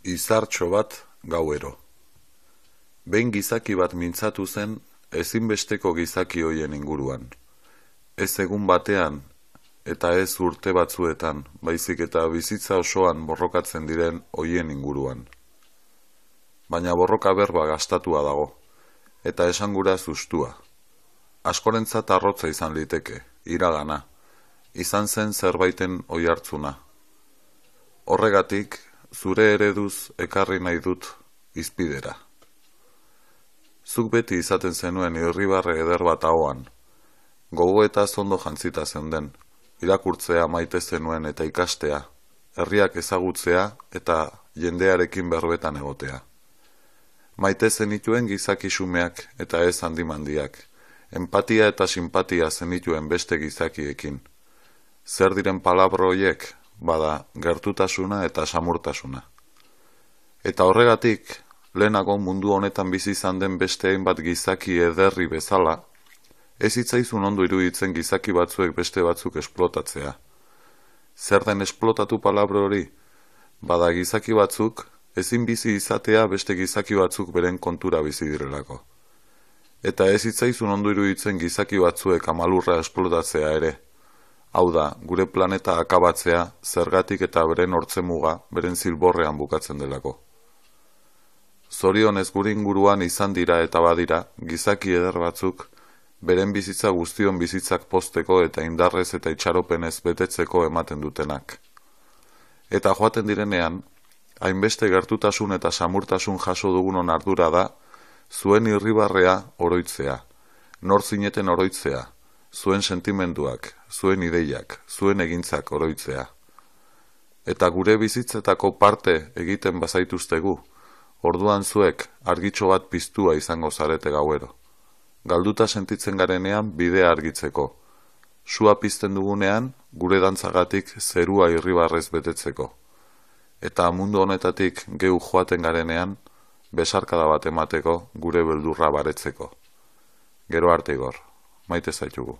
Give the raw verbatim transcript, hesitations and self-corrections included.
Izartxo bat gauero. Behin gizaki bat mintzatu zen ezinbesteko gizaki hoien inguruan. Ez egun batean eta ez urte batzuetan, baizik eta bizitza osoan borrokatzen diren hoien inguruan. Baina borroka berba gastatua dago, eta esangura zustua. Askorentzat arrotza izan liteke, iragana, izan zen zerbaiten oihartzuna. Horregatik, zure ereduz ekarri nahi dut izpidera. Zuk beti izaten zenuen irribarre eder bat ahoan, gogo eta zondo jantzita zeunden, irakurtzea maite zenuen eta ikastea, herriak ezagutzea eta jendearekin berbetan egotea. Maite zenituen gizaki xumeak eta ez handimandiak, empatia eta simpatia zenituen beste gizakiekin. Zer diren palabra horiek, bada gertutasuna eta samurtasuna. Eta horregatik, lehenago mundu honetan bizi izan den beste hainbat gizaki ederri bezala, ez hitzaizun ondo iruditzen gizaki batzuek beste batzuk esplotatzea. Zer den esplotatu palabra hori? Bada gizaki batzuk, ezin bizi izatea beste gizaki batzuk beren kontura bizi direlako. Eta ez hitzaizun ondo iruditzen gizaki batzuek amalurra esplotatzea ere. Hau da, gure planeta akabatzea, zergatik eta beren hortzemuga, beren zilborrean bukatzen delako. Zorionez gure inguruan izan dira eta badira, gizaki eder batzuk, beren bizitza guztion bizitzak pozteko eta indarrez eta itxaropenez betetzeko ematen dutenak. Eta joaten direnean, hainbeste gertutasun eta samurtasun jaso dugunon ardura da, zuen irribarrea oroitzea, nor zineten oroitzea, zuen sentimenduak, zuen ideiak, zuen egintzak oroitzea. Eta gure bizitzetako parte egiten bazaituztegu, orduan zuek argitxo bat piztua izango zarete gauero. Galduta sentitzen garenean bidea argitzeko. Sua pizten dugunean gure dantzagatik zerua irribarrez betetzeko. Eta mundu honetatik geu joaten garenean besarkada bat emateko gure beldurra baretzeko. Gero arte Igor, maite zaitugu.